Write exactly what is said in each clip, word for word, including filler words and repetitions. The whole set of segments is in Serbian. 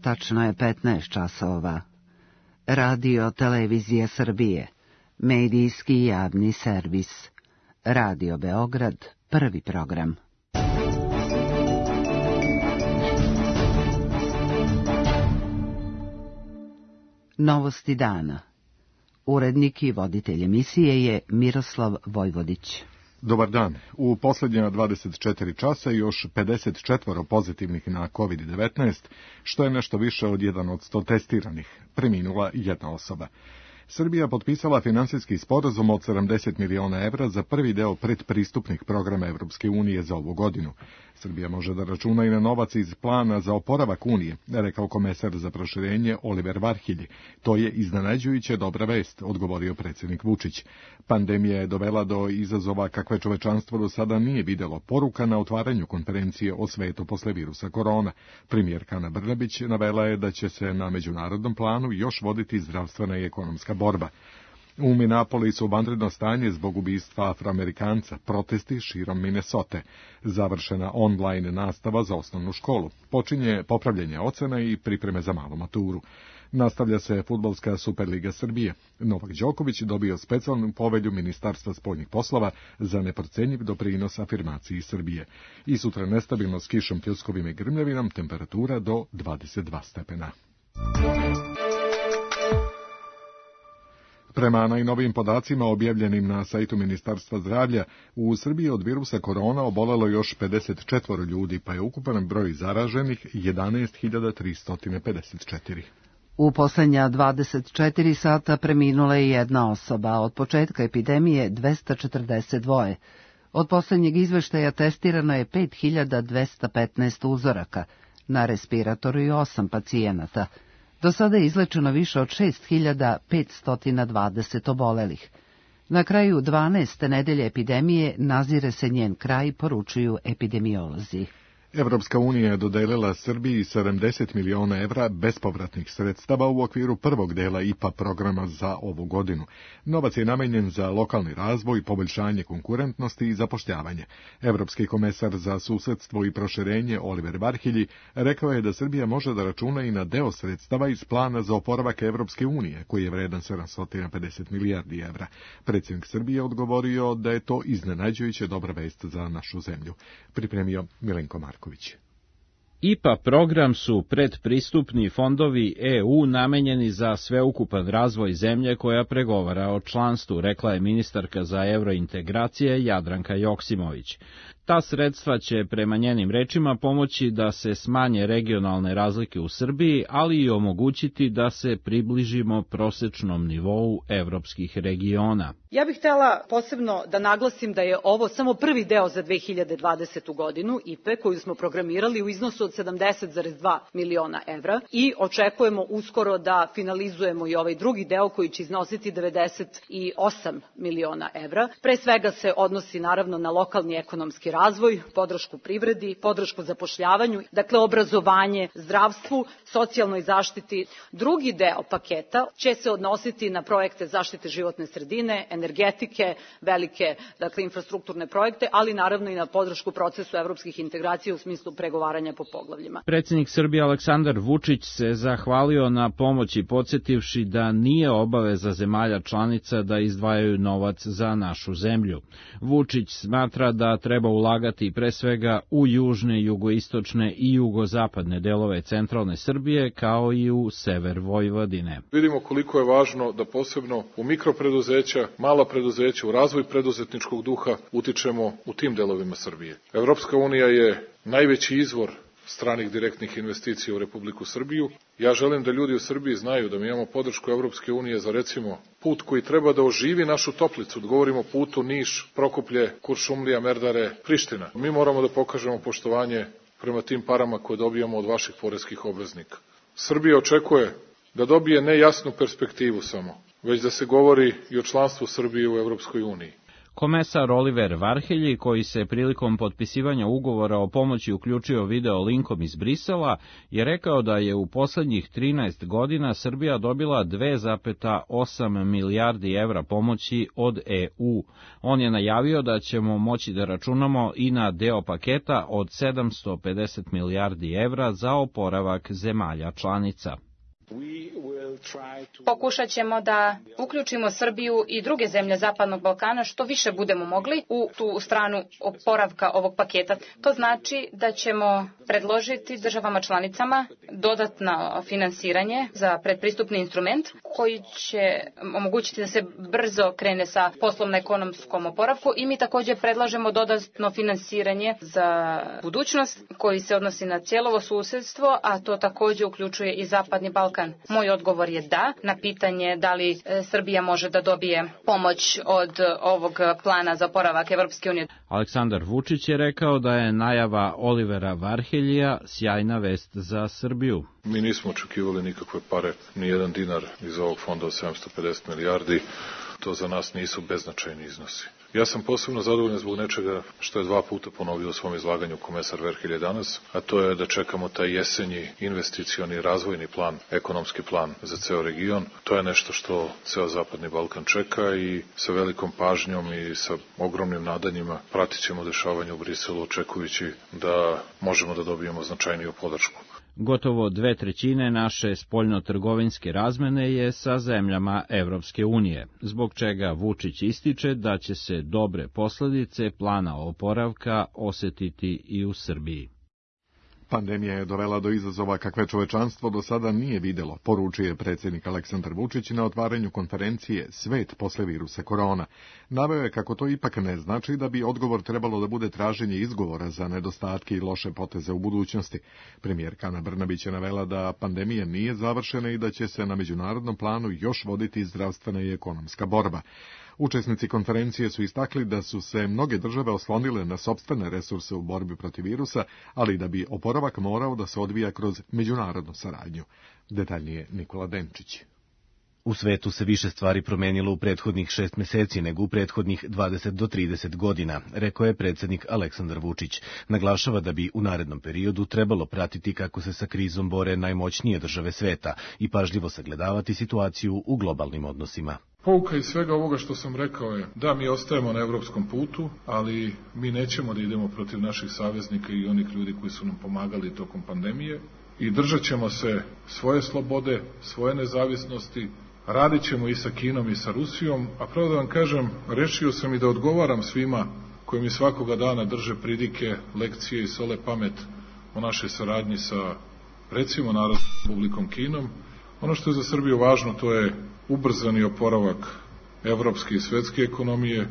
tačno je petnaest časova. Radio Televizija Srbije, medijski javni servis. Radio Beograd, prvi program. Novosti dana. Urednik i voditelj emisije je Miroslav Vojvodić. Dobar dan. U posljednja dvadeset četiri časa još pedeset četiri pozitivnih na kovid devetnaest, što je nešto više od jedan od sto testiranih. Preminula jedna osoba. Srbija potpisala finansijski sporazum od sedamdeset miliona evra za prvi deo predpristupnih programa Evropske unije za ovu godinu. Srbija može da računa i na novac iz plana za oporavak Unije, rekao komesar za proširenje Oliver Varhelji. To je iznenađujuće dobra vest, odgovorio predsjednik Vučić. Pandemija je dovela do izazova kakve čovečanstvo do sada nije vidjelo, poruka na otvaranju konferencije o svetu posle virusa korona. Premijerka Ana Brnabić navela je da će se na međunarodnom planu još voditi zdravstvena i ekonomska borba. U Minneapolisu vanredno stanje zbog ubistva Afroamerikanca, protesti širom Minnesote, završena online nastava za osnovnu školu, počinje popravljanje ocena i pripreme za malu maturu. Nastavlja se fudbalska Superliga Srbije. Novak Đoković dobio specijalnu povelju Ministarstva spoljnih poslova za neprocenjiv doprinos afirmaciji Srbije. I sutra nestabilno s kišom, pljuskovima i grmljavinom, temperatura do dvadeset dva stepena. Prema najnovijim podacima objavljenim na sajtu Ministarstva zdravlja, u Srbiji od virusa korona obolelo još pedeset četiri ljudi, pa je ukupan broj zaraženih jedanaest hiljada tristo pedeset četiri. U posljednja dvadeset četiri sata preminula je jedna osoba, od početka epidemije dvesta četrdeset dva. Od posljednjeg izveštaja testirano je pet hiljada dvesta petnaest uzoraka, na respiratoru i osam pacijenata. Do sada je izlečeno više od šest hiljada petsto dvadeset obolelih. Na kraju dvanaeste nedelje epidemije nazire se njen kraj, poručuju epidemiolozi. Evropska unija je dodelila Srbiji sedamdeset miliona evra bespovratnih sredstava u okviru prvog dela I P A programa za ovu godinu. Novac je namenjen za lokalni razvoj, poboljšanje konkurentnosti i zapošljavanje. Evropski komesar za susedstvo i proširenje Oliver Varhelji rekao je da Srbija može da računa i na deo sredstava iz plana za oporavak Evropske unije, koji je vredan sedamsto pedeset milijardi evra. Predsjednik Srbije odgovorio da je to iznenađujuće dobra vest za našu zemlju. Pripremio Milenko Marković. I P A program su predpristupni fondovi E U namenjeni za sveukupan razvoj zemlje koja pregovara o članstvu, rekla je ministarka za evrointegracije Jadranka Joksimović. Ta sredstva će, prema njenim rečima, pomoći da se smanje regionalne razlike u Srbiji, ali i omogućiti da se približimo prosečnom nivou evropskih regiona. Ja bih htjela posebno da naglasim da je ovo samo prvi deo za dve hiljade dvadesetu godinu I P E koju smo programirali u iznosu od sedamdeset zarez dva miliona evra i očekujemo uskoro da finalizujemo i ovaj drugi deo koji će iznositi devedeset osam miliona evra. Pre svega se odnosi naravno na lokalni ekonomski razvoj, podršku privredi, podršku zapošljavanju, dakle obrazovanje, zdravstvu, socijalnoj zaštiti. Drugi deo paketa će se odnositi na projekte zaštite životne sredine, energetike, velike dakle, infrastrukturne projekte, ali naravno i na podršku procesu evropskih integracija u smislu pregovaranja po poglavljima. Predsjednik Srbije Aleksandar Vučić se zahvalio na pomoći, podsjetivši da nije obaveza zemalja članica da izdvajaju novac za našu zemlju. Vučić smatra da treba ulagati pre svega u južne, jugoistočne i jugozapadne delove centralne Srbije, kao i u sever Vojvodine. Vidimo koliko je važno da posebno u mikropreduzeća, mala preduzeća, u razvoj preduzetničkog duha utičemo u tim delovima Srbije. Evropska unija je najveći izvor stranih direktnih investicija u Republiku Srbiju. Ja želim da ljudi u Srbiji znaju da mi imamo podršku Evropske unije za recimo put koji treba da oživi našu Toplicu. Govorimo o putu Niš, Prokuplje, Kuršumlija, Merdare, Priština. Mi moramo da pokažemo poštovanje prema tim parama koje dobijamo od vaših poreskih obveznika. Srbija očekuje da dobije ne jasnu perspektivu samo, već da se govori i o članstvu Srbije u Evropskoj uniji. Komesar Oliver Varhelyi, koji se prilikom potpisivanja ugovora o pomoći uključio video linkom iz Brisela, je rekao da je u poslednjih trinaest godina Srbija dobila dve zarez osam milijardi evra pomoći od E U. On je najavio da ćemo moći da računamo i na deo paketa od sedamsto pedeset milijardi evra za oporavak zemalja članica. Pokušat ćemo da uključimo Srbiju i druge zemlje Zapadnog Balkana što više budemo mogli u tu stranu oporavka ovog paketa. To znači da ćemo predložiti državama članicama dodatno finansiranje za predpristupni instrument koji će omogućiti da se brzo krene sa poslovno-ekonomskom oporavku i mi također predlažemo dodatno finansiranje za budućnost koji se odnosi na cijelovo susjedstvo, a to također uključuje i Zapadni Balkan. Moj odgovor je da, na pitanje da li Srbija može da dobije pomoć od ovog plana za oporavak Evropske unije. Aleksandar Vučić je rekao da je najava Olivera Varheljija sjajna vest za Srbiju. Mi nismo očekivali nikakve pare, ni jedan dinar iz ovog fonda od sedamsto pedeset milijardi. To za nas nisu beznačajni iznosi. Ja sam posebno zadovoljan zbog nečega što je dva puta ponovio u svom izlaganju komesar Varhelyi danas, a to je da čekamo taj jesenji investicioni razvojni plan, ekonomski plan za ceo region. To je nešto što ceo Zapadni Balkan čeka i sa velikom pažnjom i sa ogromnim nadanjima pratit ćemo dešavanje u Briselu, očekujući da možemo da dobijemo značajniju podršku. Gotovo dve trećine naše spoljnotrgovinske razmene je sa zemljama Evropske unije, zbog čega Vučić ističe da će se dobre posledice plana oporavka osetiti i u Srbiji. Pandemija je dovela do izazova kakve čovečanstvo do sada nije videlo, poručuje predsjednik Aleksandar Vučić na otvaranju konferencije Svet posle virusa korona. Naveo je kako to ipak ne znači da bi odgovor trebalo da bude traženje izgovora za nedostatke i loše poteze u budućnosti. Premijerka Ana Brnabić je navela da pandemija nije završena i da će se na međunarodnom planu još voditi zdravstvena i ekonomska borba. Učesnici konferencije su istakli da su se mnoge države oslonile na sopstvene resurse u borbi protiv virusa, ali da bi oporavak morao da se odvija kroz međunarodnu saradnju. Detaljnije Nikola Denčić. U svetu se više stvari promenilo u prethodnih šest meseci nego u prethodnih dvadeset do trideset godina, rekao je predsjednik Aleksandar Vučić. Naglašava da bi u narednom periodu trebalo pratiti kako se sa krizom bore najmoćnije države sveta i pažljivo sagledavati situaciju u globalnim odnosima. Pouka iz svega ovoga što sam rekao je da mi ostajemo na evropskom putu, ali mi nećemo da idemo protiv naših saveznika i onih ljudi koji su nam pomagali tokom pandemije i držat ćemo se svoje slobode, svoje nezavisnosti, radit ćemo i sa Kinom i sa Rusijom, a pravo da vam kažem, rešio sam i da odgovaram svima koji mi svakoga dana drže pridike, lekcije i sole pamet o našoj saradnji sa, recimo, Narodnom Republikom Kinom. Ono što je za Srbiju važno, to je ubrzani oporavak evropske i svetske ekonomije.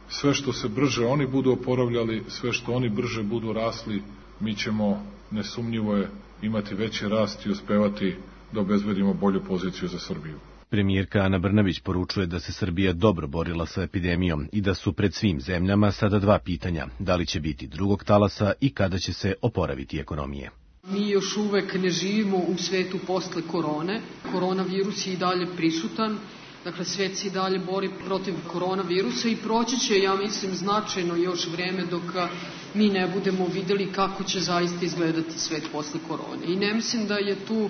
Sve što se brže oni budu oporavljali, sve što oni brže budu rasli, mi ćemo, nesumnjivo je, imati veći rast i uspevati da obezbedimo bolju poziciju za Srbiju. Premijerka Ana Brnabić poručuje da se Srbija dobro borila sa epidemijom i da su pred svim zemljama sada dva pitanja, da li će biti drugog talasa i kada će se oporaviti ekonomije. Mi još uvek ne živimo u svetu posle korone. Koronavirus je i dalje prisutan. Dakle, svet se i dalje bori protiv koronavirusa i proći će, ja mislim, značajno još vreme dok mi ne budemo videli kako će zaista izgledati svet posle korone. I ne mislim da je tu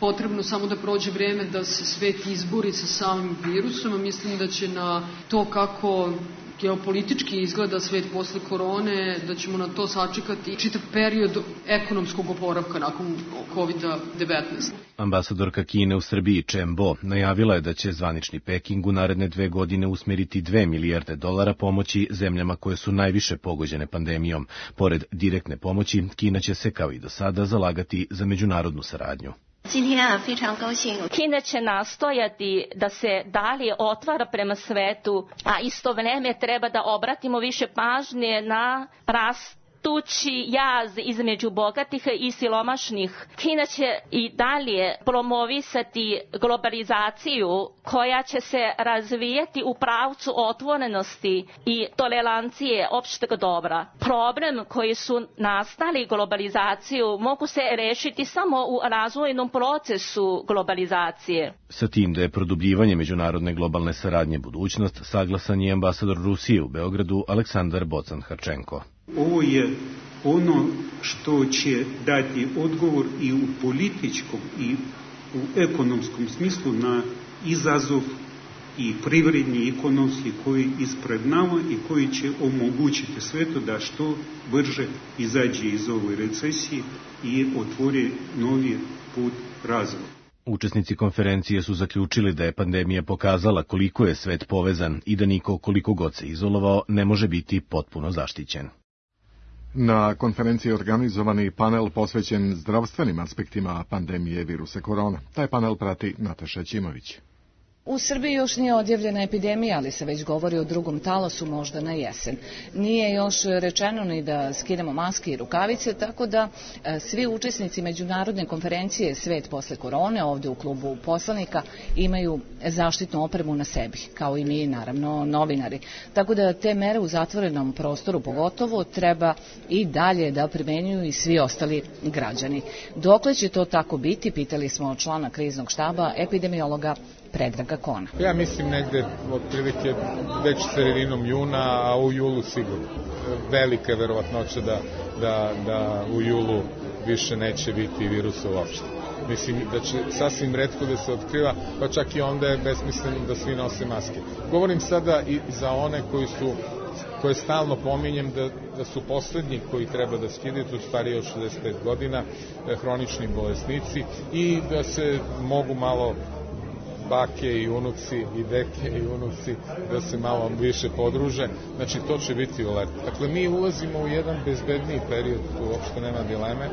potrebno samo da prođe vreme da se svet izbori sa samim virusom, a mislim da će na to kako geopolitički izgleda svet posle korone, da ćemo na to sačekati čitav period ekonomskog oporavka nakon kovid devetnaest. Ambasadorka Kine u Srbiji Chen Bo najavila je da će zvanični Peking u naredne dve godine usmeriti dve milijarde dolara pomoći zemljama koje su najviše pogođene pandemijom. Pored direktne pomoći, Kina će se kao i do sada zalagati za međunarodnu saradnju. Kina će nastojati da se dalje otvara prema svetu, a isto vreme treba da obratimo više pažnje na rast tući jaz između bogatih i siromašnih. Kina će i dalje promovisati globalizaciju koja će se razvijati u pravcu otvorenosti i tolerancije opšteg dobra. Problem koji su nastali globalizaciju mogu se rešiti samo u razvojnom procesu globalizacije. Sa tim da je produbljivanje međunarodne globalne saradnje budućnost, saglasan je ambasador Rusije u Beogradu Aleksandar Bocan-Harčenko. Ovo je ono što će dati odgovor i u političkom i u ekonomskom smislu na izazov i privredni i ekonomski koji ispred nama i koji će omogućiti svetu da što brže izađe iz ove recesije i otvori novi put razvoja. Učesnici konferencije su zaključili da je pandemija pokazala koliko je svet povezan i da niko, koliko god se izolovao, ne može biti potpuno zaštićen. Na konferenciji je organizovani panel posvećen zdravstvenim aspektima pandemije virusa korona. Taj panel prati Nataša Ćimović. U Srbiji još nije odjavljena epidemija, ali se već govori o drugom talasu, možda na jesen. Nije još rečeno ni da skinemo maske i rukavice, tako da e, svi učesnici međunarodne konferencije Svet posle korone, ovde u klubu poslanika, imaju zaštitnu opremu na sebi, kao i mi, naravno, novinari. Tako da te mere u zatvorenom prostoru pogotovo treba i dalje da primenjuju i svi ostali građani. Dokle će to tako biti, pitali smo člana kriznog štaba, epidemiologa Predraga Kona. Ja mislim negde otprilike već sredinom juna, a u julu sigurno. Velika je verovatnoća da, da, da u julu više neće biti virusa uopšte. Mislim da će sasvim retko da se otkriva, pa čak i onda je besmisleno da svi nose maske. Govorim sada i za one koji su koje stalno pominjem da, da su poslednji koji treba da skidaju, to stariji od šezdeset pet godina, hronični bolesnici i da se mogu malo bake i unuci i deke i unuci da se malo više podruže, znači to će biti u letu. Dakle, mi ulazimo u jedan bezbedniji period, tu uopšte nema dileme,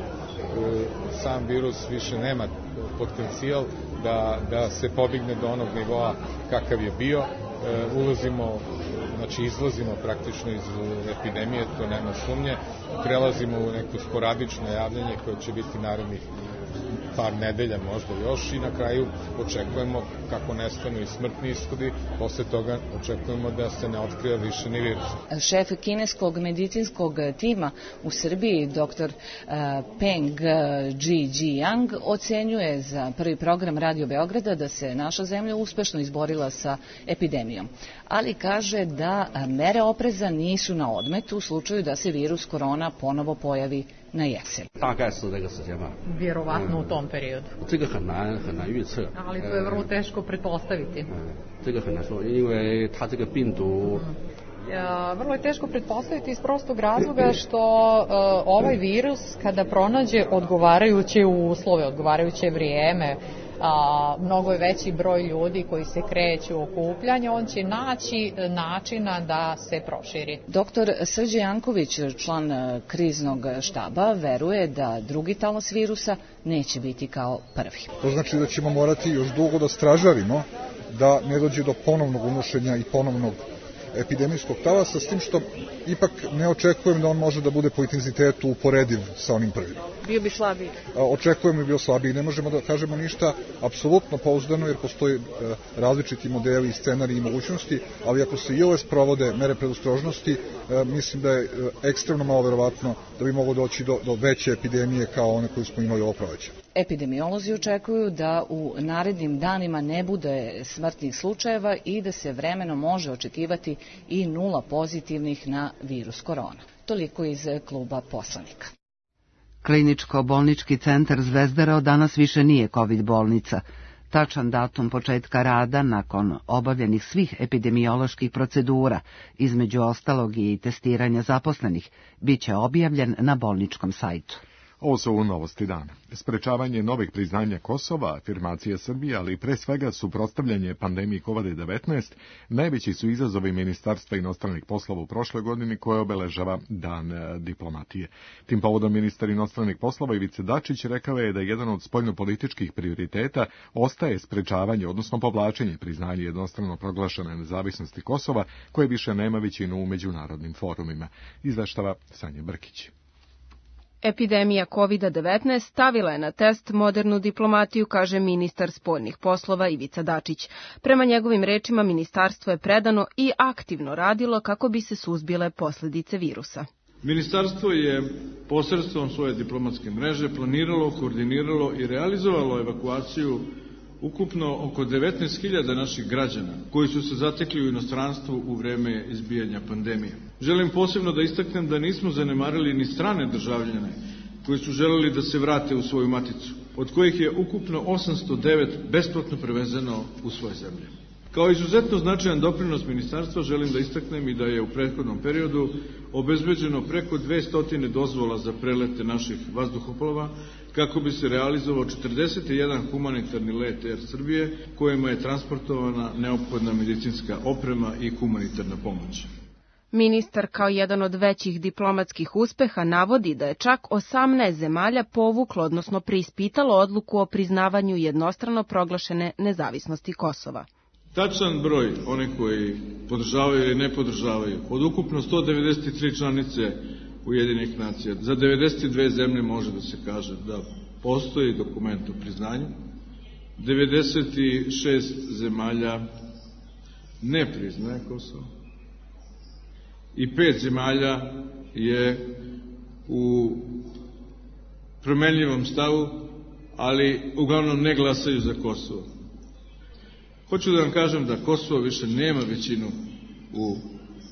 sam virus više nema potencijal da, da se podigne do onog nivoa kakav je bio, ulazimo, znači izlazimo praktično iz epidemije, to nema sumnje, prelazimo u neko sporadično javljanje koje će biti narednih par nedelja, možda još, i na kraju očekujemo, kako nestanu i smrtni ishodi, posle toga očekujemo da se ne otkriva više ni virus. Šef kineskog medicinskog tima u Srbiji, doktor Peng Zhijing, ocenjuje za prvi program Radio Beograda da se naša zemlja uspešno izborila sa epidemijom, ali kaže da mere opreza nisu na odmet u slučaju da se virus korona ponovo pojavi na jesen. Vjerovatno u tom periodu. Ali to je vrlo teško pretpostaviti. Vrlo je teško pretpostaviti iz prostog razloga što ovaj virus kada pronađe odgovarajuće uslove, odgovarajuće vrijeme, a, mnogo je veći broj ljudi koji se kreću u okupljanje, on će naći načina da se proširi. Doktor Srđe Janković, član kriznog štaba, veruje da drugi talas virusa neće biti kao prvi. To znači da ćemo morati još dugo da stražarimo da ne dođe do ponovnog unošenja i ponovnog epidemijskog talasa, s tim što ipak ne očekujem da on može da bude po intenzitetu uporediv sa onim prvim. Bio bi slabiji. Očekujem da bi bio slabiji. Ne možemo da kažemo ništa apsolutno pouzdano, jer postoje različiti modeli, scenariji i mogućnosti, ali ako se i ove sprovode mere predostrožnosti, mislim da je ekstremno malo verovatno da bi moglo doći do, do veće epidemije kao one koju smo imali ovo proleće. Epidemiolozi očekuju da u narednim danima ne bude smrtnih slučajeva i da se vremenom može očekivati i nula pozitivnih na virus korona. Toliko iz kluba poslanika. Kliničko-bolnički centar Zvezdara od danas više nije COVID bolnica. Tačan datum početka rada nakon obavljenih svih epidemioloških procedura, između ostalog i testiranja zaposlenih, bit će objavljen na bolničkom sajtu. Ovo su novosti dana. Sprečavanje novih priznanja Kosova, afirmacija Srbije, ali pre svega suprotstavljanje pandemiji kovid devetnaest, najveći su izazovi Ministarstva inostranih poslova u prošloj godini koje obeležava Dan diplomatije. Tim povodom ministar inostranih poslova Ivica Dačić rekao je da jedan od spoljnopolitičkih prioriteta ostaje sprečavanje, odnosno povlačenje priznanja jednostrano proglašene nezavisnosti Kosova, koje više nema većinu u međunarodnim forumima. Izveštava Sanja Brkić. Epidemija kovid devetnaest stavila je na test modernu diplomatiju, kaže ministar spoljnih poslova Ivica Dačić. Prema njegovim rečima, ministarstvo je predano i aktivno radilo kako bi se suzbile posledice virusa. Ministarstvo je posredstvom svoje diplomatske mreže planiralo, koordiniralo i realizovalo evakuaciju ukupno oko devetnaest hiljada naših građana koji su se zatekli u inostranstvu u vreme izbijanja pandemije. Želim posebno da istaknem da nismo zanemarili ni strane državljane koji su želeli da se vrate u svoju maticu, od kojih je ukupno osamsto devet besplatno prevezeno u svoje zemlje. Kao izuzetno značajan doprinos ministarstva želim da istaknem i da je u prethodnom periodu obezbeđeno preko dvesta dozvola za prelete naših vazduhoplova kako bi se realizovao četrdeset jedan humanitarni let Air Srbije kojima je transportovana neophodna medicinska oprema i humanitarna pomoć. Ministar kao jedan od većih diplomatskih uspeha navodi da je čak osamnaest zemalja povuklo, odnosno preispitalo odluku o priznavanju jednostrano proglašene nezavisnosti Kosova. Tačan broj, one koji podržavaju ili ne podržavaju, od ukupno sto devedeset tri članice Ujedinjenih nacija, za devedeset dve zemlje može da se kaže da postoji dokument o priznanju, devedeset šest zemalja ne priznaje Kosovo i pet zemalja je u promenljivom stavu, ali uglavnom ne glasaju za Kosovo. Hoću da vam kažem da Kosovo više nema većinu u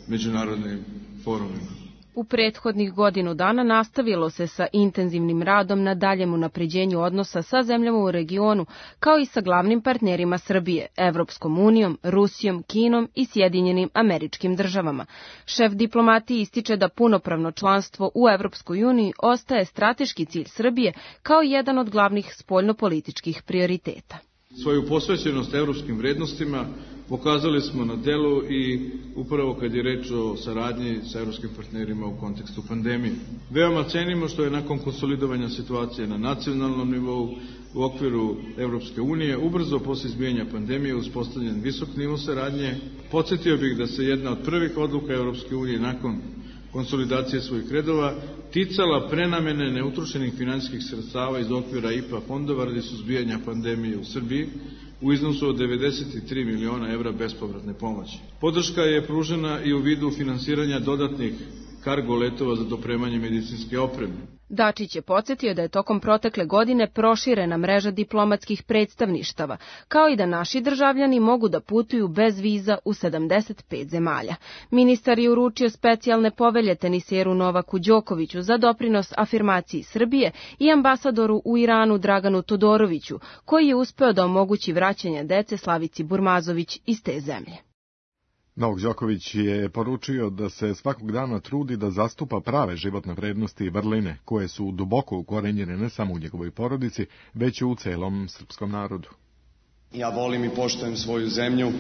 međunarodnim forumima. U prethodnih godinu dana nastavilo se sa intenzivnim radom na daljem unapređenju odnosa sa zemljama u regionu, kao i sa glavnim partnerima Srbije, Evropskom unijom, Rusijom, Kinom i Sjedinjenim Američkim državama. Šef diplomatije ističe da punopravno članstvo u Evropskoj uniji ostaje strateški cilj Srbije kao jedan od glavnih spoljnopolitičkih prioriteta. Svoju posvećenost evropskim vrednostima pokazali smo na delu i upravo kad je reč o saradnji sa evropskim partnerima u kontekstu pandemije. Veoma cenimo što je nakon konsolidovanja situacije na nacionalnom nivou u okviru Evropske unije ubrzo posle izbijanja pandemije uspostavljen visok nivo saradnje. Podsjetio bih da se jedna od prvih odluka Evropske unije nakon konsolidacije svojih redova ticala prenamene neutrošenih finansijskih sredstava iz okvira I P A fondova radi suzbijanja pandemije u Srbiji u iznosu od devedeset tri miliona evra bespovratne pomoći. Podrška je pružena i u vidu finansiranja dodatnih kargo letova za dopremanje medicinske opreme. Dačić je podsjetio da je tokom protekle godine proširena mreža diplomatskih predstavništava, kao i da naši državljani mogu da putuju bez viza u sedamdeset pet zemalja. Ministar je uručio specijalne povelje teniseru Novaku Đokoviću za doprinos afirmaciji Srbije i ambasadoru u Iranu Draganu Todoroviću, koji je uspeo da omogući vraćanje dece Slavici Burmazović iz te zemlje. Novak Đoković je poručio da se svakog dana trudi da zastupa prave životne vrednosti i vrline, koje su duboko ukorenjene ne samo u njegovoj porodici, već i u celom srpskom narodu. Ja volim i poštujem svoju zemlju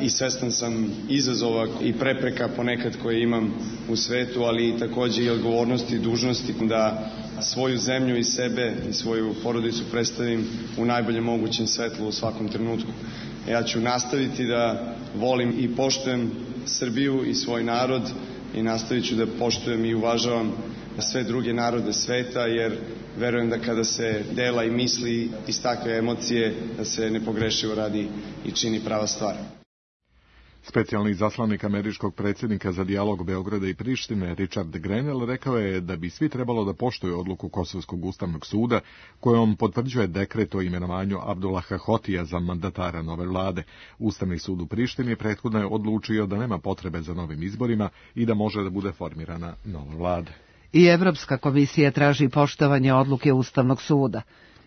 i svestan sam izazova i prepreka ponekad koje imam u svetu, ali i takođe i odgovornosti i dužnosti da svoju zemlju i sebe i svoju porodicu predstavim u najboljem mogućem svetlu u svakom trenutku. Ja ću nastaviti da volim i poštujem Srbiju i svoj narod i nastavit ću da poštujem i uvažavam sve druge narode sveta, jer verujem da kada se dela i misli iz takve emocije, da se nepogrešivo radi i čini prava stvar. Specijalni izaslanik američkog predsjednika za dijalog Beograda i Prištine, Richard Grenell, rekao je da bi svi trebalo da poštuju odluku Kosovskog ustavnog suda, kojom potvrđuje dekret o imenovanju Abdullaha Hotija za mandatara nove vlade. Ustavni sud u Prištini prethodno je odlučio da nema potrebe za novim izborima i da može da bude formirana nova vlada. I Evropska komisija traži poštovanje odluke Ustavnog suda.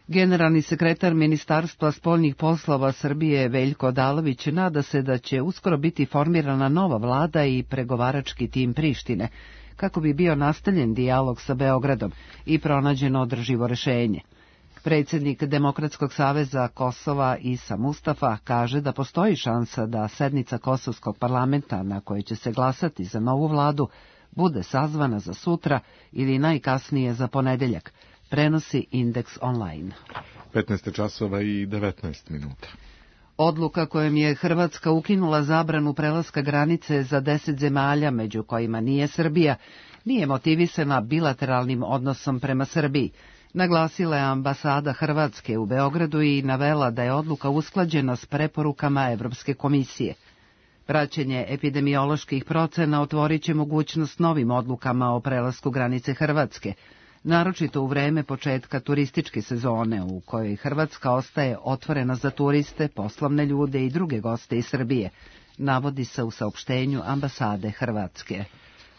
Generalni sekretar Ministarstva spoljnih poslova Srbije Veljko Odalović nada se da će uskoro biti formirana nova vlada i pregovarački tim Prištine, kako bi bio nastavljen dijalog sa Beogradom i pronađeno održivo rešenje. Predsjednik Demokratskog saveza Kosova Isa Mustafa kaže da postoji šansa da sednica Kosovskog parlamenta na kojoj će se glasati za novu vladu bude sazvana za sutra ili najkasnije za ponedeljak, prenosi Indeks online. petnaest časova i devetnaest minuta. Odluka kojom je Hrvatska ukinula zabranu prelaska granice za deset zemalja, među kojima nije Srbija, nije motivisana bilateralnim odnosom prema Srbiji. Naglasila je ambasada Hrvatske u Beogradu i navela da je odluka usklađena s preporukama Evropske komisije. Praćenje epidemioloških procena otvorit će mogućnost novim odlukama o prelasku granice Hrvatske, naročito u vreme početka turističke sezone u kojoj Hrvatska ostaje otvorena za turiste, poslovne ljude i druge goste iz Srbije, navodi se u saopštenju ambasade Hrvatske.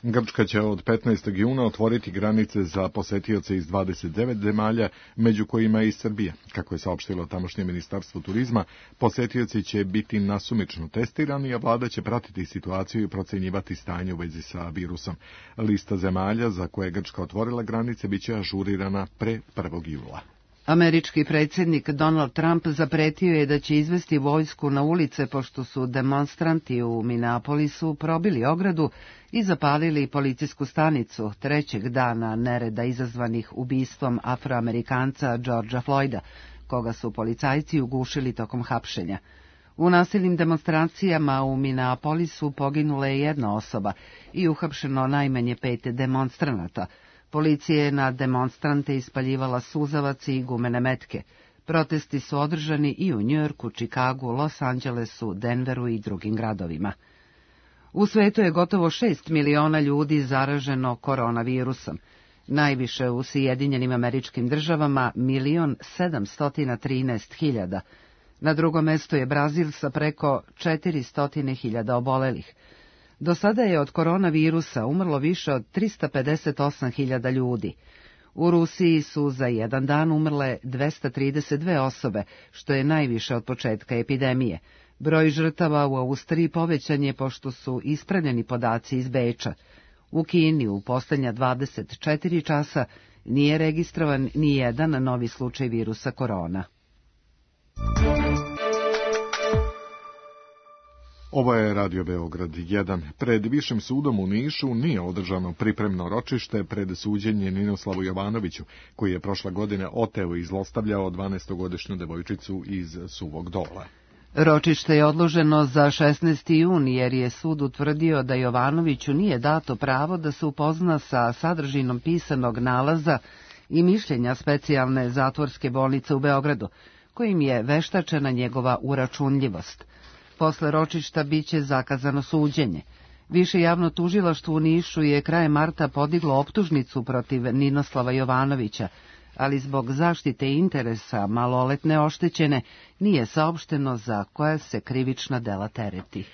Grčka će od petnaestog juna otvoriti granice za posetioce iz dvadeset devet zemalja, među kojima i Srbija. Kako je saopštilo tamošnje ministarstvo turizma, posetioci će biti nasumično testirani, a vlada će pratiti situaciju i procenjivati stanje u vezi sa virusom. Lista zemalja za koje je Grčka otvorila granice biće ažurirana pre prvog jula. Američki predsjednik Donald Trump zapretio je da će izvesti vojsku na ulice pošto su demonstranti u Minneapolisu probili ogradu i zapalili policijsku stanicu trećeg dana nereda izazvanih ubistvom Afroamerikanca Georgea Floyda, koga su policajci ugušili tokom hapšenja. U nasilnim demonstracijama u Minneapolisu poginula je jedna osoba i uhapšeno najmanje pet demonstranata. Policija je na demonstrante ispaljivala suzavac i gumene metke. Protesti su održani i u Njujorku, Čikagu, Los Angelesu, Denveru i drugim gradovima. U svetu je gotovo šest miliona ljudi zaraženo koronavirusom. Najviše u Sjedinjenim Američkim Državama milion sedamstotina trinaest hiljada. Na drugom mestu je Brazil sa preko četiristo hiljada obolelih. Do sada je od koronavirusa umrlo više od trista pedeset osam hiljada ljudi. U Rusiji su za jedan dan umrle dvesta trideset dve osobe, što je najviše od početka epidemije. Broj žrtava u Austriji povećan je pošto su ispravljeni podaci iz Beča. U Kini u posljednja dvadeset četiri časa nije registrovan ni jedan novi slučaj virusa korona. Ovo je Radio Beograd jedan. Pred Višim sudom u Nišu nije održano pripremno ročište pred suđenje Ninoslavu Jovanoviću, koji je prošle godine oteo i zlostavljao dvanaestogodišnju devojčicu iz Suvog Dola. Ročište je odloženo za šesnaesti jun jer je sud utvrdio da Jovanoviću nije dato pravo da se upozna sa sadržinom pisanog nalaza i mišljenja specijalne zatvorske bolnice u Beogradu, kojim je veštačena njegova uračunljivost. Posle ročišta biće zakazano suđenje. Više javno tužilaštvo u Nišu je krajem marta podiglo optužnicu protiv Ninoslava Jovanovića, ali zbog zaštite interesa maloletne oštećene nije saopšteno za koja se krivična dela tereti.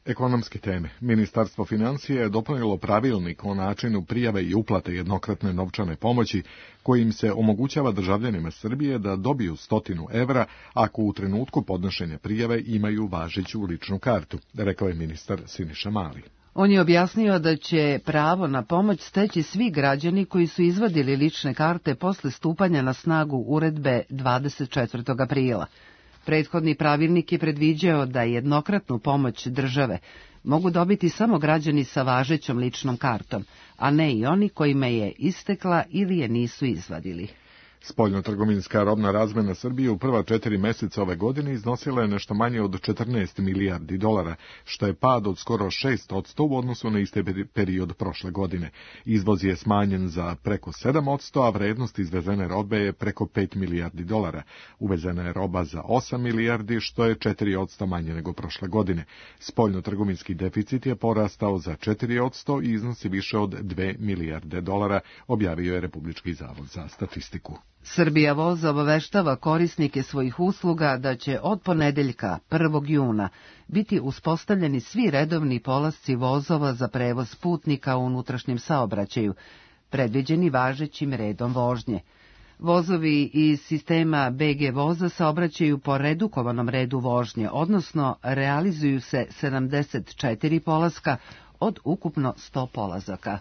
Ekonomske teme. Ministarstvo financija je dopunilo pravilnik o načinu prijave i uplate jednokratne novčane pomoći, kojim se omogućava državljanima Srbije da dobiju stotinu evra ako u trenutku podnošenja prijave imaju važeću ličnu kartu, rekao je ministar Siniša Mali. On je objasnio da će pravo na pomoć steći svi građani koji su izvadili lične karte posle stupanja na snagu uredbe dvadeset četvrtog aprila. Prethodni pravilnik je predviđao da jednokratnu pomoć države mogu dobiti samo građani sa važećom ličnom kartom, a ne i oni kojima je istekla ili je nisu izvadili. Spoljnotrgovinska robna razmena Srbije u prva četiri meseca ove godine iznosila je nešto manje od četrnaest milijardi dolara, što je pad od skoro šest posto u odnosu na isti period prošle godine. Izvoz je smanjen za preko sedam posto, a vrednost izvezene robe je preko pet milijardi dolara. Uvezena je roba za osam milijardi, što je četiri posto manje nego prošle godine. Spoljnotrgovinski deficit je porastao za četiri posto i iznosi više od dve milijarde dolara, objavio je Republički zavod za statistiku. Srbija voz obaveštava korisnike svojih usluga da će od ponedeljka prvog juna biti uspostavljeni svi redovni polasci vozova za prevoz putnika u unutrašnjem saobraćaju, predviđeni važećim redom vožnje. Vozovi iz sistema B G voza saobraćaju po redukovanom redu vožnje, odnosno realizuju se sedamdeset četiri polaska od ukupno sto polazaka.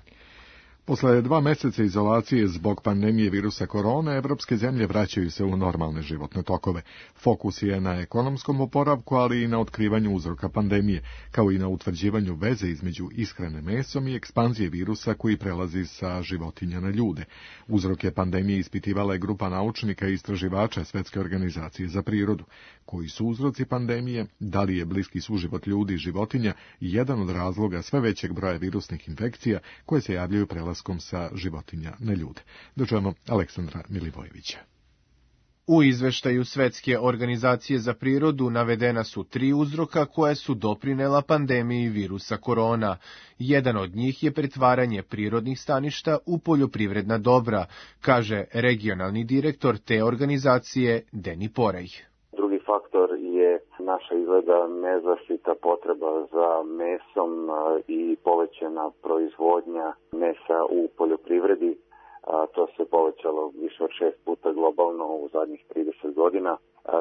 Posle dva meseca izolacije zbog pandemije virusa korona, evropske zemlje vraćaju se u normalne životne tokove. Fokus je na ekonomskom oporavku, ali i na otkrivanju uzroka pandemije, kao i na utvrđivanju veze između ishrane mesom i ekspanzije virusa koji prelazi sa životinja na ljude. Uzroke pandemije ispitivala je grupa naučnika i istraživača Svetske organizacije za prirodu. Koji su uzroci pandemije, da li je bliski suživot ljudi i životinja jedan od razloga sve većeg broja virusnih infekcija koje se javljaju prelaskom sa životinja na ljude. Dočujemo Aleksandra Milivojevića. U izveštaju Svetske organizacije za prirodu navedena su tri uzroka koje su doprinela pandemiji virusa korona. Jedan od njih je pretvaranje prirodnih staništa u poljoprivredna dobra, kaže regionalni direktor te organizacije Deni Porej. Drugi faktor je naša izgleda nezaštita potreba za mesom i povećana proizvodnja mesa u poljoprivredi. To se povećalo više od šest puta globalno u zadnjih trideset godina,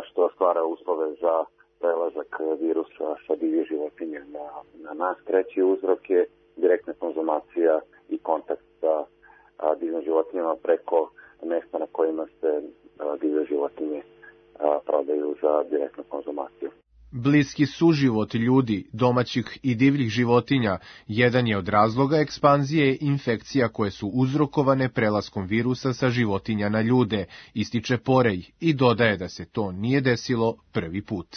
što stvara uslove za prelazak virusa sa divlje životinje na, na nas. Treći uzrok je direktna konzumacija i kontakt sa divljim životinjama preko mesta na kojima se divlje životinje prodaju za direktnu konzumaciju. Bliski suživot ljudi, domaćih i divljih životinja, jedan je od razloga ekspanzije infekcija koje su uzrokovane prelaskom virusa sa životinja na ljude, ističe Porej i dodaje da se to nije desilo prvi put.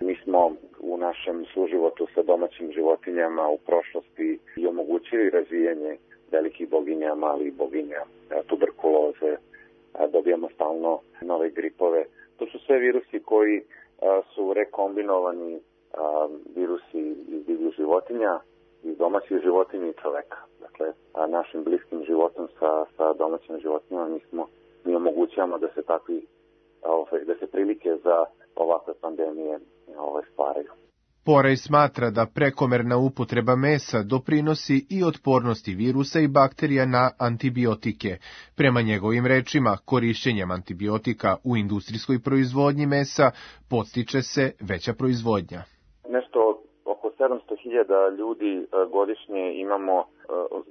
Mi smo u našem suživotu sa domaćim životinjama u prošlosti i omogućili razvijanje velikih boginja, malih boginja, tuberkuloze, dobijamo stalno nove gripove. To su sve virusi koji su rekombinovani virusi iz divljih životinja, iz domaćih životinja i čoveka. Dakle, našim bliskim životom sa, sa domaćim životinjama mi, smo, mi omogućavamo da se takvi, da se prilike za ovakve pandemije stvaraju. Porej smatra da prekomerna upotreba mesa doprinosi i otpornosti virusa i bakterija na antibiotike. Prema njegovim rečima, korišćenjem antibiotika u industrijskoj proizvodnji mesa podstiče se veća proizvodnja. Nešto oko sedamsto hiljada ljudi godišnje imamo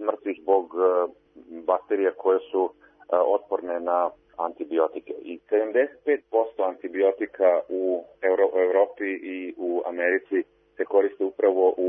mrtvih zbog bakterija koje su otporne na antibiotike. I sedamdeset pet posto antibiotika u Evropi i u Americi se koriste upravo u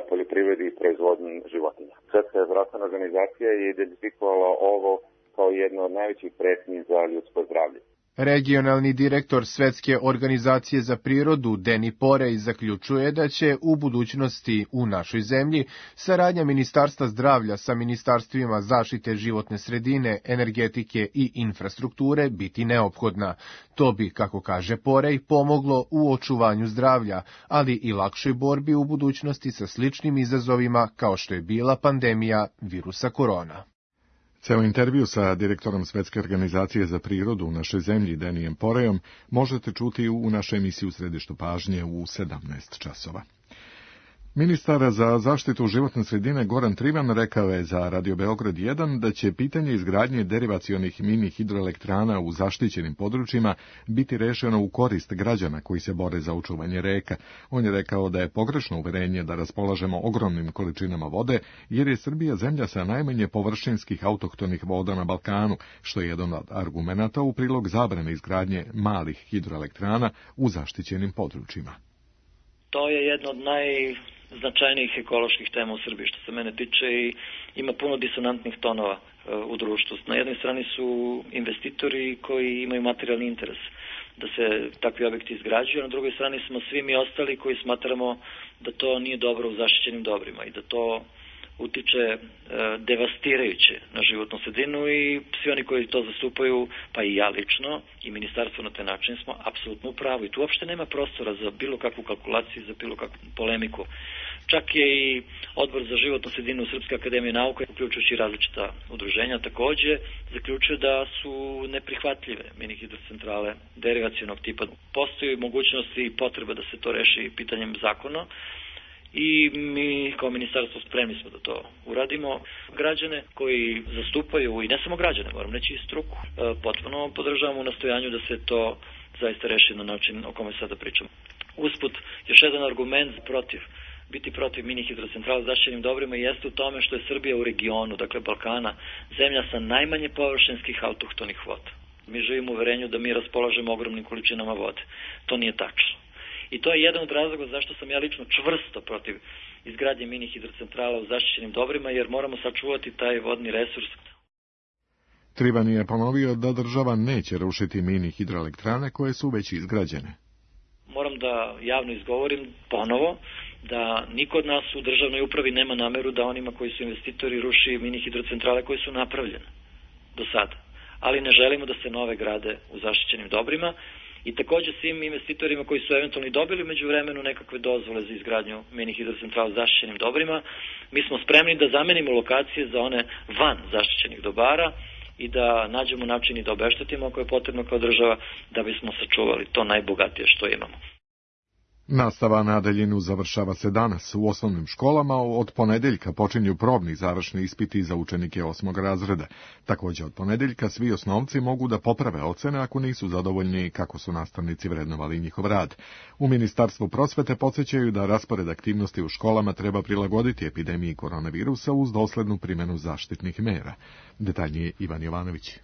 poljoprivredi i proizvodnji životinja. Svetska zdravstvena organizacija je identifikovala ovo kao jedno od najvećih pretnji za ljudsko zdravlje. Regionalni direktor Svetske organizacije za prirodu Deni Porej zaključuje da će u budućnosti u našoj zemlji saradnja Ministarstva zdravlja sa ministarstvima zaštite životne sredine, energetike i infrastrukture biti neophodna. To bi, kako kaže Porej, pomoglo u očuvanju zdravlja, ali i lakšoj borbi u budućnosti sa sličnim izazovima kao što je bila pandemija virusa korona. Ceo intervju sa direktorom Svetske organizacije za prirodu u našoj zemlji Denijem Porejom možete čuti u našoj emisiji U središtu pažnje u sedamnaest časova. Ministar za zaštitu životne sredine Goran Trivan rekao je za Radio Beograd jedan da će pitanje izgradnje derivacionih mini hidroelektrana u zaštićenim područjima biti rešeno u korist građana koji se bore za očuvanje reka. On je rekao da je pogrešno uverenje da raspolažemo ogromnim količinama vode, jer je Srbija zemlja sa najmanje površinskih autohtonih voda na Balkanu, što je jedan od argumenata u prilog zabrane izgradnje malih hidroelektrana u zaštićenim područjima. To je jedno od naj značajnijih ekoloških tema u Srbiji što se mene tiče i ima puno disonantnih tonova u društvu. Na jednoj strani su investitori koji imaju materijalni interes da se takvi objekti izgrađuju, a na drugoj strani smo svi mi ostali koji smatramo da to nije dobro u zaštićenim dobrima i da to utiče e, devastirajuće na životnu sredinu i svi oni koji to zastupaju, pa i ja lično i ministarstvo na taj način smo apsolutno u pravu i tu uopšte nema prostora za bilo kakvu kalkulaciju, za bilo kakvu polemiku. Čak je i Odbor za životnu sredinu Srpske akademije nauka, uključujući različita udruženja, takođe zaključuje da su neprihvatljive mini hidrocentrale derivacionog tipa. Postoji mogućnost i potreba da se to reši pitanjem zakona i mi kao ministarstvo spremni smo da to uradimo. Građane koji zastupaju, i ne samo građane, moram reći i struku, potpuno podržavamo u nastojanju da se to zaista reši na način o kome sada pričamo. Usput, još jedan argument protiv biti protiv mini hidrocentrala s zaštićenim dobrima jeste u tome što je Srbija u regionu, dakle Balkana, zemlja sa najmanje površinskih autohtonih voda. Mi živimo u uverenju da mi raspolažemo ogromnim količinama vode. To nije tačno. I to je jedan od razloga zašto sam ja lično čvrsto protiv izgradnje mini hidrocentrala u zaštićenim dobrima, jer moramo sačuvati taj vodni resurs. Trivan je ponovio da država neće rušiti mini hidroelektrane koje su već izgrađene. Moram da javno izgovorim ponovo da niko od nas u državnoj upravi nema nameru da onima koji su investitori ruši mini hidrocentrale koje su napravljene do sada. Ali ne želimo da se nove grade u zaštićenim dobrima i takođe svim investitorima koji su eventualno dobili među vremenu nekakve dozvole za izgradnju mini hidrocentrala u zaštićenim dobrima, mi smo spremni da zamenimo lokacije za one van zaštićenih dobara i da nađemo način i da obeštetimo ako je potrebno kao država da bismo sačuvali to najbogatije što imamo. Nastava na daljinu završava se danas. U osnovnim školama od ponedeljka počinju probni završni ispiti za učenike osmog razreda. Takođe od ponedeljka svi osnovci mogu da poprave ocene ako nisu zadovoljni kako su nastavnici vrednovali njihov rad. U Ministarstvu prosvete podsjećaju da raspored aktivnosti u školama treba prilagoditi epidemiji koronavirusa uz doslednu primjenu zaštitnih mera. Detaljnije Ivan Jovanović.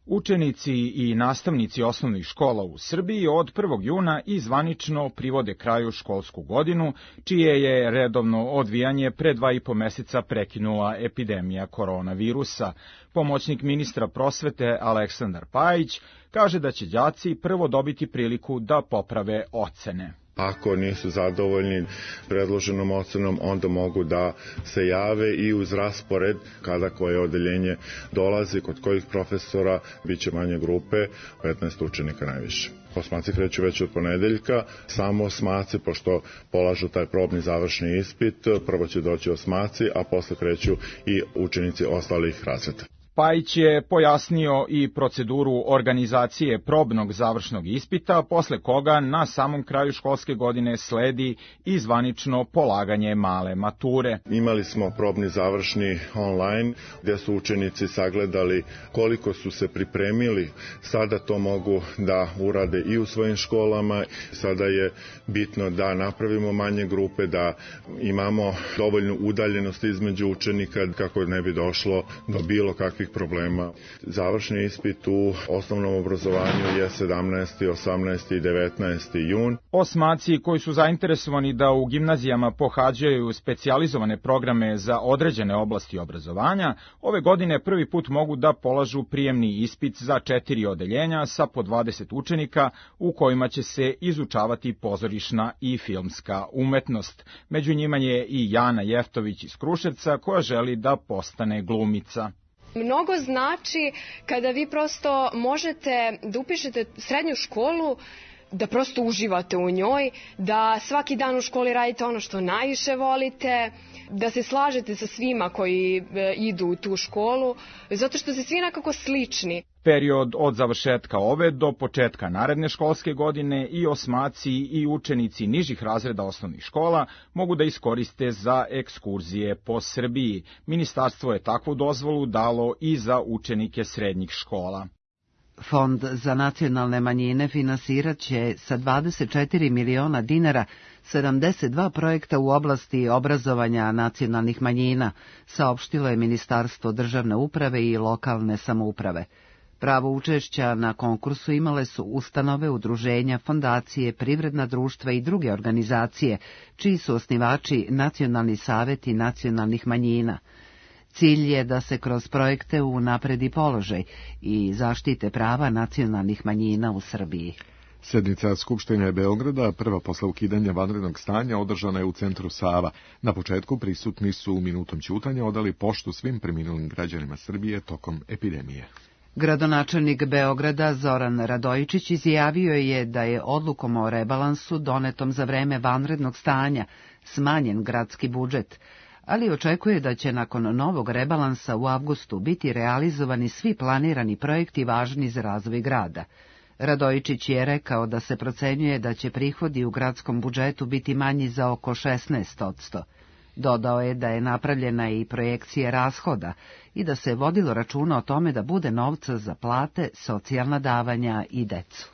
Učenici i nastavnici osnovnih škola u Srbiji od prvog juna i zvanično privode kraju školsku godinu, čije je redovno odvijanje pre dva i po meseca prekinula epidemija koronavirusa. Pomoćnik ministra prosvete Aleksandar Pajić kaže da će đaci prvo dobiti priliku da poprave ocene. Ako nisu zadovoljni predloženom ocenom, onda mogu da se jave i uz raspored kada koje odeljenje dolazi, kod kojih profesora biće manje grupe, petnaest učenika najviše. Osmaci kreću već od ponedeljka, samo osmaci, pošto polažu taj probni završni ispit, prvo će doći osmaci, a posle kreću i učenici ostalih razreda. Pajić je pojasnio i proceduru organizacije probnog završnog ispita, posle koga na samom kraju školske godine sledi i zvanično polaganje male mature. Imali smo probni završni online, gde su učenici sagledali koliko su se pripremili. Sada to mogu da urade i u svojim školama. Sada je bitno da napravimo manje grupe, da imamo dovoljnu udaljenost između učenika kako ne bi došlo do bilo kakvih problema. Završni ispit u osnovnom obrazovanju je sedamnaesti, osamnaesti i devetnaesti jun. Osmaci koji su zainteresovani da u gimnazijama pohađaju specijalizovane programe za određene oblasti obrazovanja, ove godine prvi put mogu da polažu prijemni ispit za četiri odeljenja sa po dvadeset učenika u kojima će se izučavati pozorišna i filmska umetnost. Među njima je i Jana Jeftović iz Kruševca koja želi da postane glumica. Mnogo znači kada vi prosto možete da upišete srednju školu, da prosto uživate u njoj, da svaki dan u školi radite ono što najviše volite, da se slažete sa svima koji idu u tu školu, zato što se svi nekako slični. Period od završetka ove do početka naredne školske godine i osmaci i učenici nižih razreda osnovnih škola mogu da iskoriste za ekskurzije po Srbiji. Ministarstvo je takvu dozvolu dalo i za učenike srednjih škola. Fond za nacionalne manjine finansirat će sa dvadeset četiri miliona dinara sedamdeset dva projekta u oblasti obrazovanja nacionalnih manjina, saopštilo je Ministarstvo državne uprave i lokalne samouprave. Pravo učešća na konkursu imale su ustanove, udruženja, fondacije, privredna društva i druge organizacije, čiji su osnivači nacionalni saveti nacionalnih manjina. Cilj je da se kroz projekte unapredi položaj i zaštite prava nacionalnih manjina u Srbiji. Sednica Skupštine Beograda, prva posle ukidanja vanrednog stanja, održana je u centru Sava. Na početku prisutni su minutom ćutanja odali poštu svim preminulim građanima Srbije tokom epidemije. Gradonačelnik Beograda Zoran Radojičić izjavio je da je odlukom o rebalansu donetom za vreme vanrednog stanja smanjen gradski budžet, ali očekuje da će nakon novog rebalansa u avgustu biti realizovani svi planirani projekti važni za razvoj grada. Radojičić je rekao da se procenjuje da će prihodi u gradskom budžetu biti manji za oko šesnaest odsto. Dodao je da je napravljena i projekcija rashoda i da se vodilo računa o tome da bude novca za plate, socijalna davanja i decu.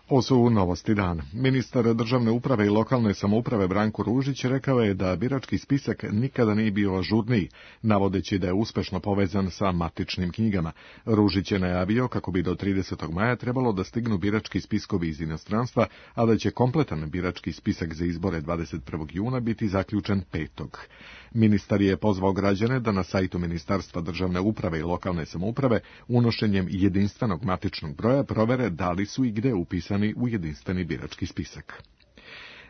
Ovo su novosti dana. Ministar državne uprave i lokalne samouprave Branko Ružić rekao je da birački spisak nikada nije bio ažurniji, navodeći da je uspešno povezan sa matičnim knjigama. Ružić je najavio kako bi do tridesetog maja trebalo da stignu birački spiskovi iz inostranstva, a da će kompletan birački spisak za izbore dvadeset prvog juna biti zaključen petog. Ministar je pozvao građane da na sajtu Ministarstva državne uprave i lokalne samouprave unošenjem jedinstvenog matičnog broja provere da li su i gde upisani u jedinstveni birački spisak.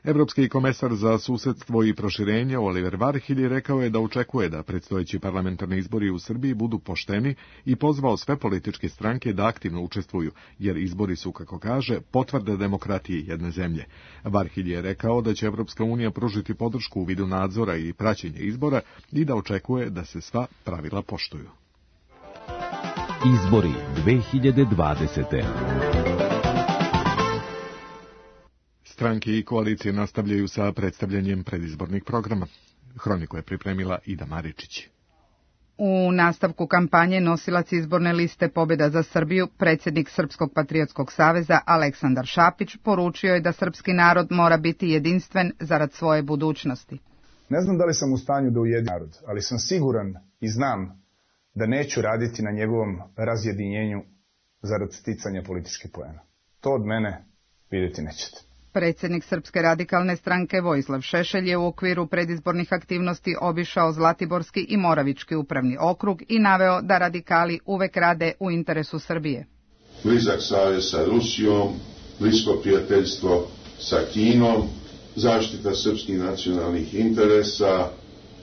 Evropski komesar za susedstvo i proširenje Oliver Varhelyi rekao je da očekuje da predstojeći parlamentarni izbori u Srbiji budu pošteni i pozvao sve političke stranke da aktivno učestvuju, jer izbori su, kako kaže, potvrda demokratije jedne zemlje. Varhelyi je rekao da će Evropska unija pružiti podršku u vidu nadzora i praćenja izbora i da očekuje da se sva pravila poštuju. Izbori dve hiljade dvadesete. Stranke i koalicije nastavljaju sa predstavljanjem predizbornih programa. Hroniku je pripremila Ida Maričić. U nastavku kampanje nosilac izborne liste Pobjeda za Srbiju, predsjednik Srpskog patriotskog saveza Aleksandar Šapić poručio je da srpski narod mora biti jedinstven zarad svoje budućnosti. Ne znam da li sam u stanju da ujedim narod, ali sam siguran i znam da neću raditi na njegovom razjedinjenju zarad sticanja političkih poena. To od mene vidjeti nećete. Predsjednik Srpske radikalne stranke Vojislav Šešelj je u okviru predizbornih aktivnosti obišao Zlatiborski i Moravički upravni okrug i naveo da radikali uvek rade u interesu Srbije. Blizak savez sa Rusijom, blisko prijateljstvo sa Kinom, zaštita srpskih nacionalnih interesa,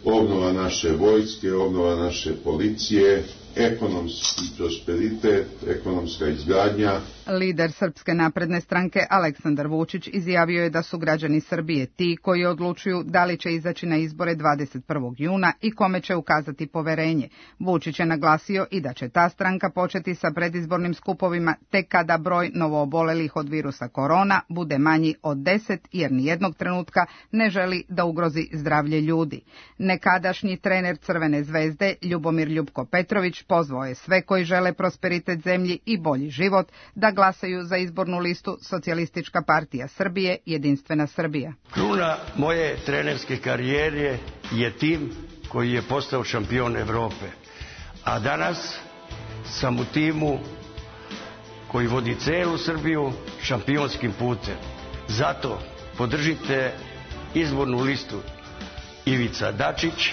obnova naše vojske, obnova naše policije, ekonomski prosperitet, ekonomska izgradnja. Lider Srpske napredne stranke Aleksandar Vučić izjavio je da su građani Srbije ti koji odlučuju da li će izaći na izbore dvadeset prvog juna i kome će ukazati poverenje. Vučić je naglasio i da će ta stranka početi sa predizbornim skupovima tek kada broj novoobolelih od virusa korona bude manji od deset, jer nijednog trenutka ne želi da ugrozi zdravlje ljudi. Nekadašnji trener Crvene zvezde Ljubomir Ljupko Petrović pozvao je sve koji žele prosperitet zemlji i bolji život da glasaju za izbornu listu Socijalistička partija Srbije, Jedinstvena Srbija. Kruna moje trenerske karijere je tim koji je postao šampion Evrope. A danas sam u timu koji vodi celu Srbiju šampionskim putem. Zato podržite izbornu listu Ivica Dačić,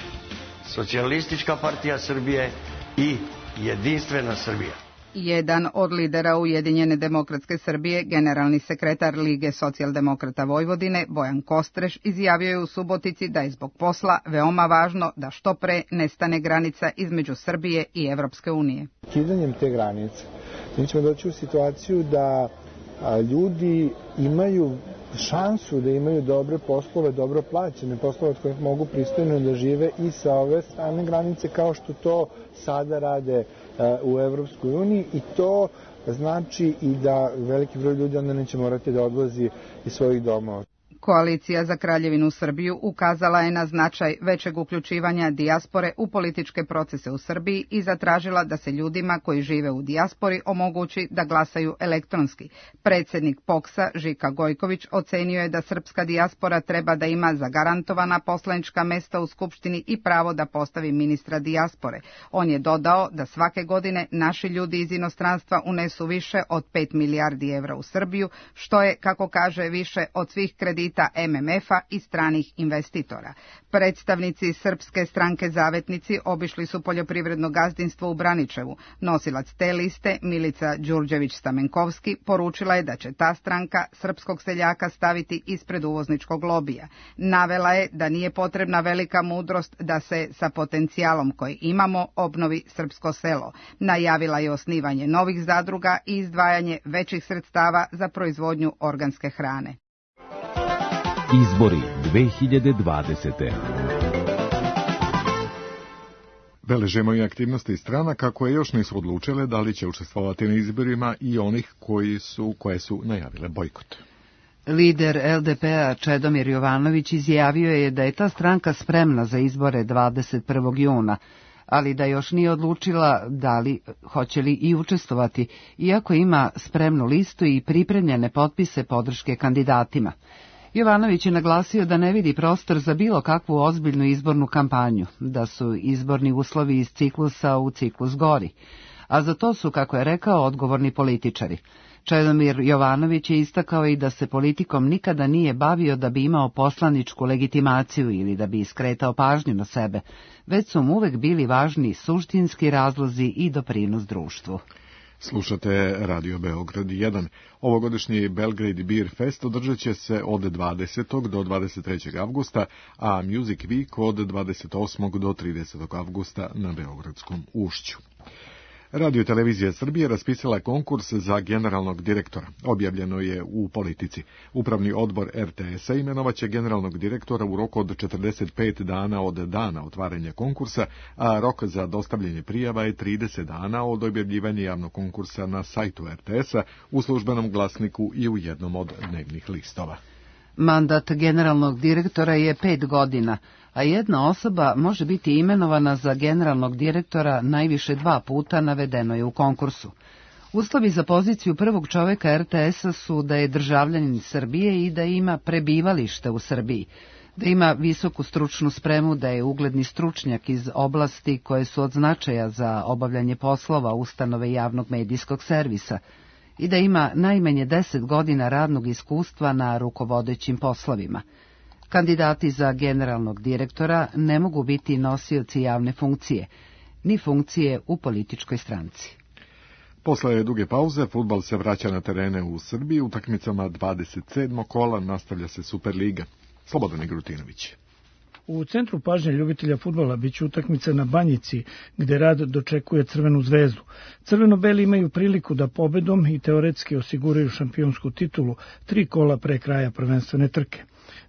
Socijalistička partija Srbije i Jedinstvena Srbija. Jedan od lidera Ujedinjene demokratske Srbije, generalni sekretar Lige socijaldemokrata Vojvodine, Bojan Kostreš, izjavio je u Subotici da je zbog posla veoma važno da što pre nestane granica između Srbije i Evropske unije. Kidanjem te granice mi ćemo doći u situaciju da a, ljudi imaju šansu da imaju dobre poslove, dobro plaćene poslove od kojih mogu pristojno da žive i sa ove strane granice kao što to sada rade u Evropskoj uniji, i to znači i da veliki broj ljudi onda neće morati da odlazi iz svojih domova. Koalicija za Kraljevinu Srbiju ukazala je na značaj većeg uključivanja dijaspore u političke procese u Srbiji i zatražila da se ljudima koji žive u dijaspori omogući da glasaju elektronski. Predsjednik Poksa Žika Gojković ocenio je da srpska dijaspora treba da ima zagarantovana poslanička mesta u Skupštini i pravo da postavi ministra dijaspore. On je dodao da svake godine naši ljudi iz inostranstva unesu više od pet milijardi evra u Srbiju, što je, kako kaže, više od svih kredita M M F-a i stranih investitora. Predstavnici Srpske stranke Zavetnici obišli su poljoprivredno gazdinstvo u Braničevu. Nosilac te liste, Milica Đurđević-Stamenkovski, poručila je da će ta stranka srpskog seljaka staviti ispred uvozničkog lobija. Navela je da nije potrebna velika mudrost da se sa potencijalom koji imamo obnovi srpsko selo. Najavila je osnivanje novih zadruga i izdvajanje većih sredstava za proizvodnju organske hrane. Izbori dve hiljade dvadesete. Beležimo i aktivnosti stranaka koje još nisu odlučile da li će učestvovati na izborima i onih koji su, koje su najavile bojkot. Lider L D P-a Čedomir Jovanović izjavio je da je ta stranka spremna za izbore dvadeset prvog juna, ali da još nije odlučila da li hoće li i učestvovati, iako ima spremnu listu i pripremljene potpise podrške kandidatima. Jovanović je naglasio da ne vidi prostor za bilo kakvu ozbiljnu izbornu kampanju, da su izborni uslovi iz ciklusa u ciklus gori, a za to su, kako je rekao, odgovorni političari. Čedomir Jovanović je istakao i da se politikom nikada nije bavio da bi imao poslaničku legitimaciju ili da bi iskretao pažnju na sebe, već su mu uvek bili važni suštinski razlozi i doprinos društvu. Slušate Radio Beograd jedan. Ovogodišnji Belgrade Beer Fest održat će se od dvadesetog do dvadeset trećeg avgusta, a Music Week od dvadeset osmog do tridesetog avgusta na Beogradskom ušću. Radio televizija Srbije raspisala konkurs za generalnog direktora. Objavljeno je u Politici. Upravni odbor R T S-a imenovaće generalnog direktora u roku od četrdeset pet dana od dana otvaranja konkursa, a rok za dostavljanje prijava je trideset dana od objavljivanja javnog konkursa na sajtu R T S-a, u službenom glasniku i u jednom od dnevnih listova. Mandat generalnog direktora je pet godina, a jedna osoba može biti imenovana za generalnog direktora najviše dva puta, navedeno je u konkursu. Uslovi za poziciju prvog čoveka R T S-a su da je državljanin Srbije i da ima prebivalište u Srbiji, da ima visoku stručnu spremu, da je ugledni stručnjak iz oblasti koje su od značaja za obavljanje poslova ustanove javnog medijskog servisa i da ima najmanje deset godina radnog iskustva na rukovodećim poslovima. Kandidati za generalnog direktora ne mogu biti nosioci javne funkcije, ni funkcije u političkoj stranci. Posle duge pauze, fudbal se vraća na terene u Srbiji. Utakmicama dvadeset sedmog kola nastavlja se Superliga. Slobodan Igrutinović. U centru pažnje ljubitelja fudbala biće utakmica na Banjici, gde rad dočekuje Crvenu zvezdu. Crveno-beli imaju priliku da pobedom i teoretski osiguraju šampionsku titulu tri kola pre kraja prvenstvene trke.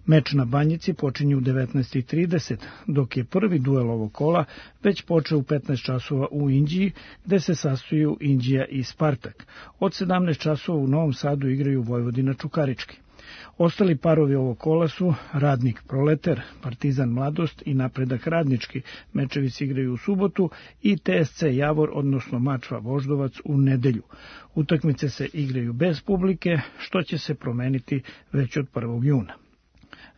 Meč na Banjici počinje u devetnaest i trideset, dok je prvi duel ovog kola već počeo u petnaest časova u Inđiji, gde se sastoju Inđija i Spartak. Od sedamnaest časova u Novom Sadu igraju Vojvodina Čukarički. Ostali parovi ovog kola su Radnik Proleter, Partizan Mladost i Napredak Radnički. Mečevi se igraju u subotu i T S C Javor, odnosno Mačva Voždovac, u nedelju. Utakmice se igraju bez publike, što će se promeniti već od prvog juna.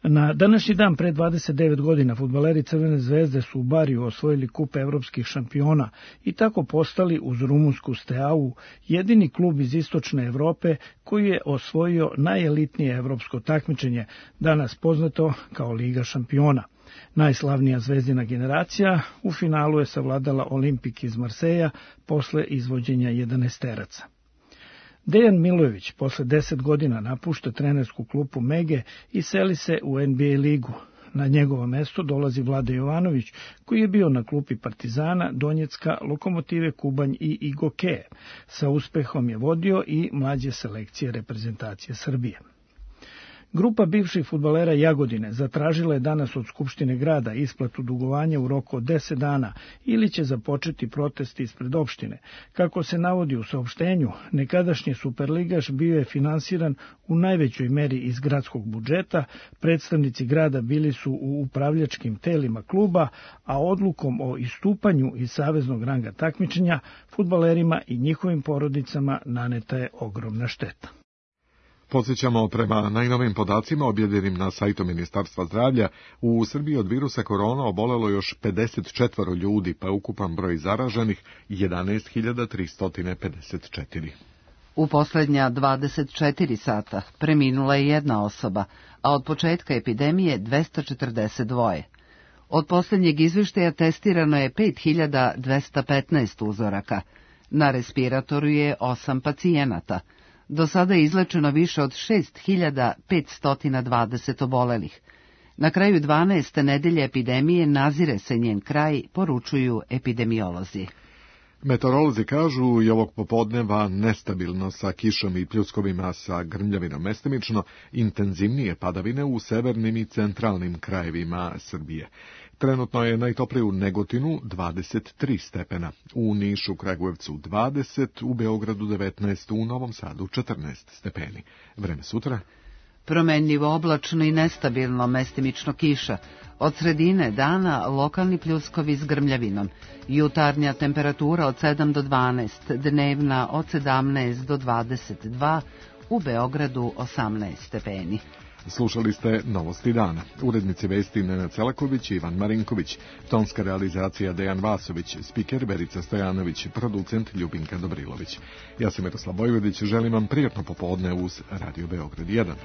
Na današnji dan pre dvadeset devet godina fudbaleri Crvene zvezde su u Bariju osvojili kup evropskih šampiona i tako postali uz rumunsku Steaua jedini klub iz istočne Evrope koji je osvojio najelitnije evropsko takmičenje, danas poznato kao Liga šampiona. Najslavnija zvezdina generacija u finalu je savladala Olimpik iz Marseja posle izvođenja jedanaesteraca. Dejan Milojević posle deset godina napušta trenersku klupu Mege i seli se u N B A ligu. Na njegovo mesto dolazi Vlada Jovanović, koji je bio na klupi Partizana, Donjecka, Lokomotive Kubanj i Igokeje. Sa uspehom je vodio i mlađe selekcije reprezentacije Srbije. Grupa bivših fudbalera Jagodine zatražila je danas od Skupštine grada isplatu dugovanja u roku od deset dana ili će započeti protest ispred opštine. Kako se navodi u saopštenju, nekadašnji superligaš bio je finansiran u najvećoj meri iz gradskog budžeta, predstavnici grada bili su u upravljačkim telima kluba, a odlukom o istupanju iz saveznog ranga takmičenja fudbalerima i njihovim porodicama naneta je ogromna šteta. Podsjećamo, prema najnovim podacima objavljenim na sajtu Ministarstva zdravlja, u Srbiji od virusa korona obolelo još pedeset četvoro ljudi, pa je ukupan broj zaraženih jedanaest hiljada tristo pedeset četiri. U poslednja dvadeset četiri sata preminula je jedna osoba, a od početka epidemije dvesta četrdeset dva. Od poslednjeg izveštaja testirano je pet hiljada dvesta petnaest uzoraka. Na respiratoru je osam pacijenata. Do sada je izlečeno više od šest hiljada petsto dvadeset obolelih. Na kraju dvanaeste nedelje epidemije nazire se njen kraj, poručuju epidemiolozi. Meteorolozi kažu i ovog popodneva nestabilno sa kišom i pljuskovima sa grmljavinom mestimično, intenzivnije padavine u severnim i centralnim krajevima Srbije. Trenutno je najtoplije u Negotinu dvadeset tri stepena, u Nišu, Kragujevcu dvadeset, u Beogradu devetnaest, u Novom Sadu četrnaest stepeni. Vreme sutra? Promenljivo oblačno i nestabilno, mestimično kiša. Od sredine dana lokalni pljuskovi s grmljavinom. Jutarnja temperatura od sedam do dvanaest, dnevna od sedamnaest do dvadeset dva, u Beogradu osamnaest stepeni. Slušali ste Novosti dana. Urednici vesti Nenad Celaković i Ivan Marinković, tonska realizacija Dejan Vasović, spiker Verica Stojanović, producent Ljubinka Dobrilović. Ja sam Miroslav Bojvedić, želim vam prijatno popodne uz Radio Beograd jedan.